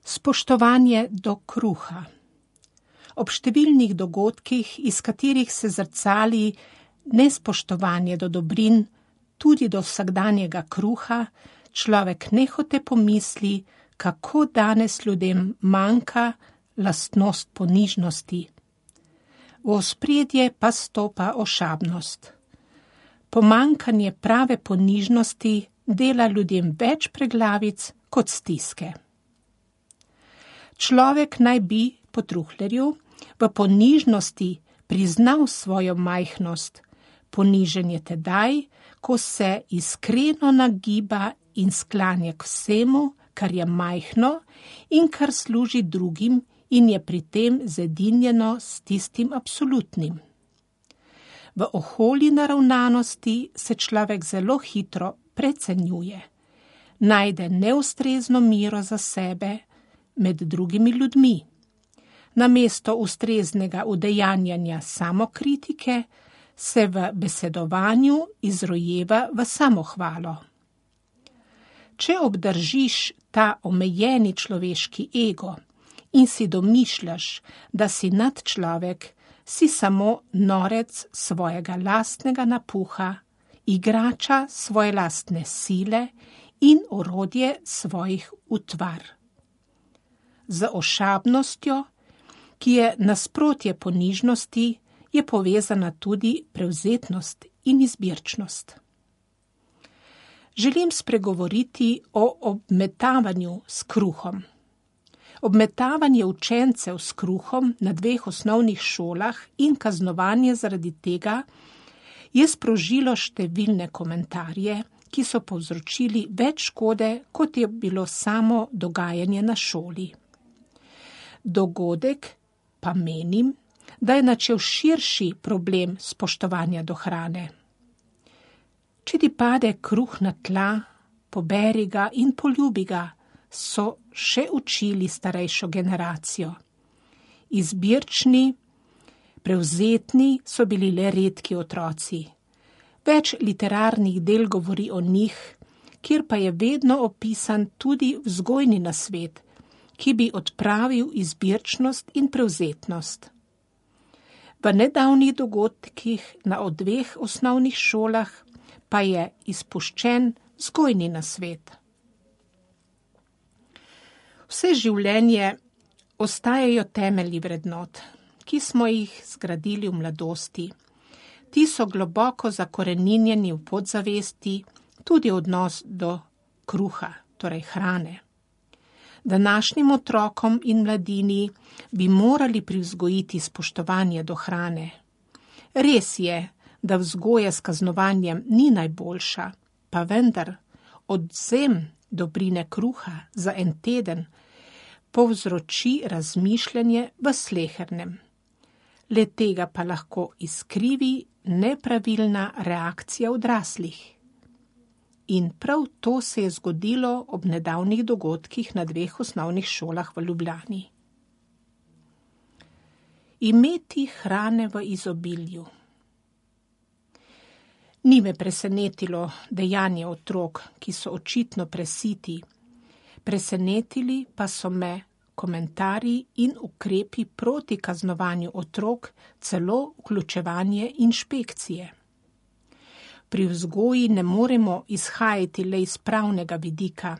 Spoštovanje do kruha. Ob številnih dogodkih, iz katerih se zrcali nespoštovanje do dobrin, tudi do vsakdanjega kruha, človek nehote pomisli, kako danes ljudem manjka lastnost ponižnosti. V ospredje pa stopa ošabnost. Pomanjkanje prave ponižnosti dela ljudem več preglavic kot stiske. Človek naj bi po Truhlerju v ponižnosti priznal svojo majhnost. Ponižen je tedaj, ko se iskreno nagiba in sklanja k vsemu, kar je majhno in kar služi drugim in je pri tem zedinjeno s tistim absolutnim. V oholi naravnanosti se človek zelo hitro precenjuje, najde neustrezno mero za sebe med drugimi ljudmi. Namesto ustreznega udejanjanja samokritike se v besedovanju izrojeva v samohvalo. Če obdržiš ta omejeni človeški ego in si domišljaš, da si nadčlovek, si samo norec svojega lastnega napuha, igrača svoje lastne sile in orodje svojih utvar. Z ošabnostjo, ki je nasprotje ponižnosti, je povezana tudi prevzetnost in izbirčnost. Želim spregovoriti o obmetavanju s kruhom. Obmetavanje učencev s kruhom na 2 osnovnih šolah in kaznovanje zaradi tega je sprožilo številne komentarje, ki so povzročili več škode, kot je bilo samo dogajanje na šoli. Dogodek pa menim, da je načel širši problem spoštovanja do hrane. Če ti pade kruh na tla, poberi ga in poljubi ga, so še učili starejšo generacijo. Izbirčni, prevzetni so bili le redki otroci. Več literarnih del govori o njih, kjer pa je vedno opisan tudi vzgojni nasvet, ki bi odpravil izbirčnost in prevzetnost. V nedavnih dogodkih na 2 osnovnih šolah pa je izpuščen vzgojni nasvet. Vse življenje ostajajo temelji vrednot, ki smo jih zgradili v mladosti. Ti so globoko zakoreninjeni v podzavesti, tudi odnos do kruha, torej hrane. Današnjim otrokom in mladini bi morali privzgojiti spoštovanje do hrane. Res je, da vzgoja s kaznovanjem ni najboljša, pa vendar odvzem dobrine kruha za en teden povzroči razmišljanje v slehernem. Le tega pa lahko izkrivi nepravilna reakcija odraslih. In prav to se je zgodilo ob nedavnih dogodkih na 2 osnovnih šolah v Ljubljani. Imeti hrane v izobilju. Ni me presenetilo dejanje otrok, ki so očitno presiti. Presenetili pa so me komentarji in ukrepi proti kaznovanju otrok, celo vključevanje inšpekcije. Pri vzgoji ne moremo izhajati le iz pravnega vidika,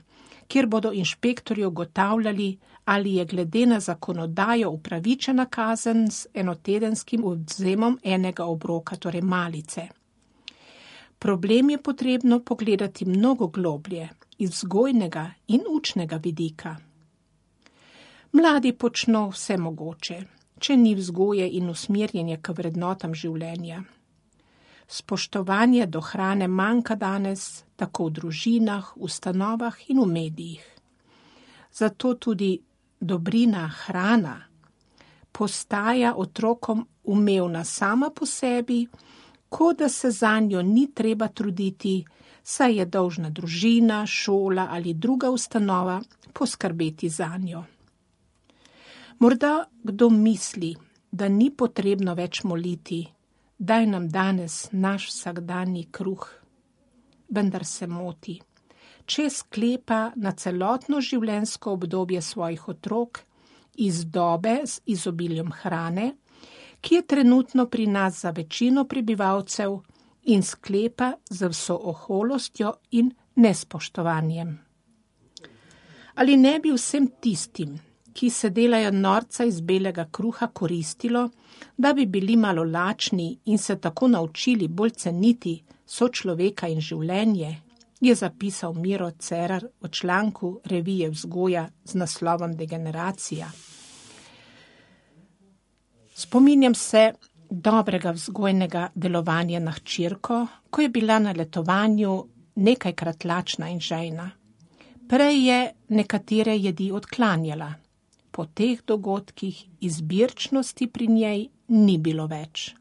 kjer bodo inšpektorji ugotavljali, ali je glede na zakonodajo upravičena kazen z enotedenskim odvzemom enega obroka, torej malice. Problem je potrebno pogledati mnogo globlje, iz vzgojnega in učnega vidika. Mladi počno vse mogoče, če ni vzgoje in usmerjenje k vrednotam življenja. Spoštovanje do hrane manjka danes tako v družinah, ustanovah in v medijih. Zato tudi dobrina hrana postaja otrokom umevna sama po sebi, kot da se zanjo ni treba truditi, saj je dolžna družina, šola ali druga ustanova poskrbeti zanjo. Morda kdo misli, da ni potrebno več moliti, daj nam danes naš vsakdanji kruh. Vendar se moti. če sklepa na celotno življenjsko obdobje svojih otrok iz dobe z izobiljem hrane, ki je trenutno pri nas za večino prebivalcev, in sklepa z vso oholostjo in nespoštovanjem. Ali ne bi vsem tistim, ki se delajo norca iz belega kruha, koristilo, da bi bili malo lačni in se tako naučili bolj ceniti sočloveka in življenje, je zapisal Miro Cerar v članku revije Vzgoja z naslovom Degeneracija. Spominjam se dobrega vzgojnega delovanja na hčerko, ko je bila na letovanju nekajkrat lačna in žejna. Prej je nekatere jedi odklanjala. Po teh dogodkih izbirčnosti pri njej ni bilo več.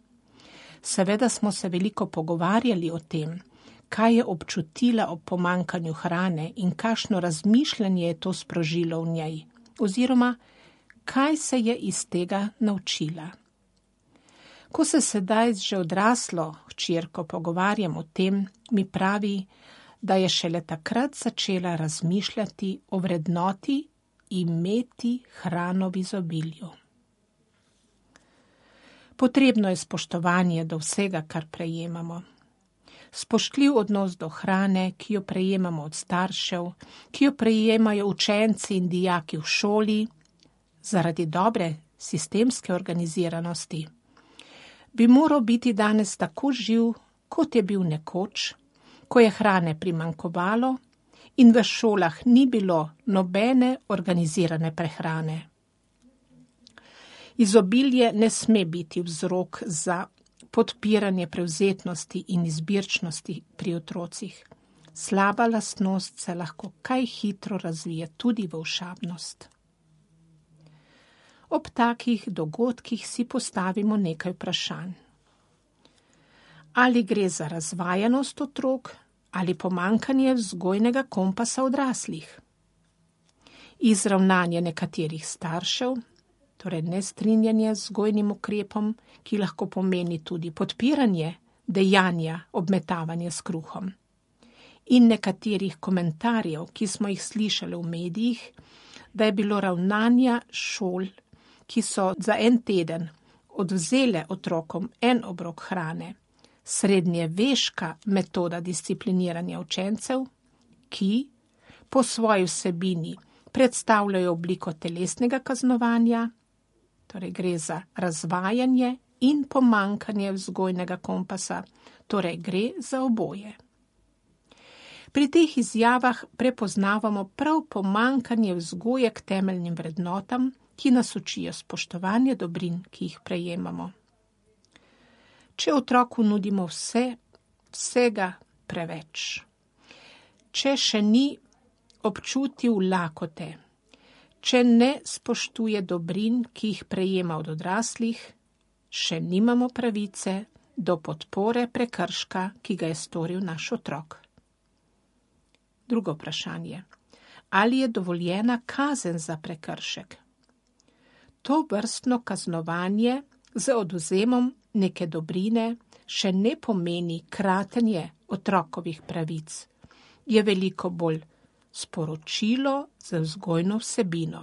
Seveda smo se veliko pogovarjali o tem, kaj je občutila ob pomanjkanju hrane in kakšno razmišljanje je to sprožilo v njej, oziroma kaj se je iz tega naučila. Ko se sedaj z že odraslo hčerko pogovarjam o tem, mi pravi, da je šele takrat začela razmišljati o vrednoti imeti hrano v izobilju. Potrebno je spoštovanje do vsega, kar prejemamo. Spoštljiv odnos do hrane, ki jo prejemamo od staršev, ki jo prejemajo učenci in dijaki v šoli, zaradi dobre sistemske organiziranosti, bi moral biti danes tako živ, kot je bil nekoč, ko je hrane primanjkovalo in v šolah ni bilo nobene organizirane prehrane. Izobilje ne sme biti vzrok za podpiranje prevzetnosti in izbirčnosti pri otrocih. Slaba lastnost se lahko kaj hitro razvije tudi v ošabnost. Ob takih dogodkih si postavimo nekaj vprašanj. Ali gre za razvajenost otrok ali pomanjkanje vzgojnega kompasa odraslih? Izravnanje nekaterih staršev, torej nestrinjanje z vzgojnim ukrepom, ki lahko pomeni tudi podpiranje dejanja obmetavanja s kruhom. In nekaterih komentarjev, ki smo jih slišali v medijih, da je bilo ravnanja šol, ki so za en teden odvzele otrokom en obrok hrane, srednjeveška metoda discipliniranja učencev, ki po svoji vsebini predstavljajo obliko telesnega kaznovanja, torej gre za razvajanje in pomanjkanje vzgojnega kompasa, torej gre za oboje. Pri teh izjavah prepoznavamo prav pomanjkanje vzgoje k temeljnim vrednotam, ki nas učijo spoštovanje dobrin, ki jih prejemamo. Če otroku nudimo vsega preveč, če še ni občutil lakote, če ne spoštuje dobrin, ki jih prejema od odraslih, še nimamo pravice do podpore prekrška, ki ga je storil naš otrok. Drugo vprašanje. Ali je dovoljena kazen za prekršek? To vrstno kaznovanje z odvzemom neke dobrine še ne pomeni kratenje otrokovih pravic. Je veliko bolj sporočilo z vzgojno vsebino.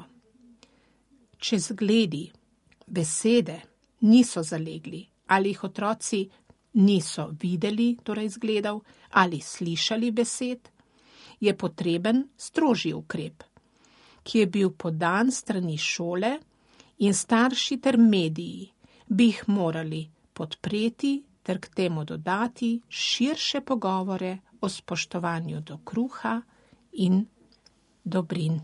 Če zgledi, besede niso zalegli, ali jih otroci niso videli, torej zgledal, ali slišali besed, je potreben strožji ukrep, ki je bil podan strani šole in starši ter mediji bi jih morali podpreti ter k temu dodati širše pogovore o spoštovanju do kruha in dobrin.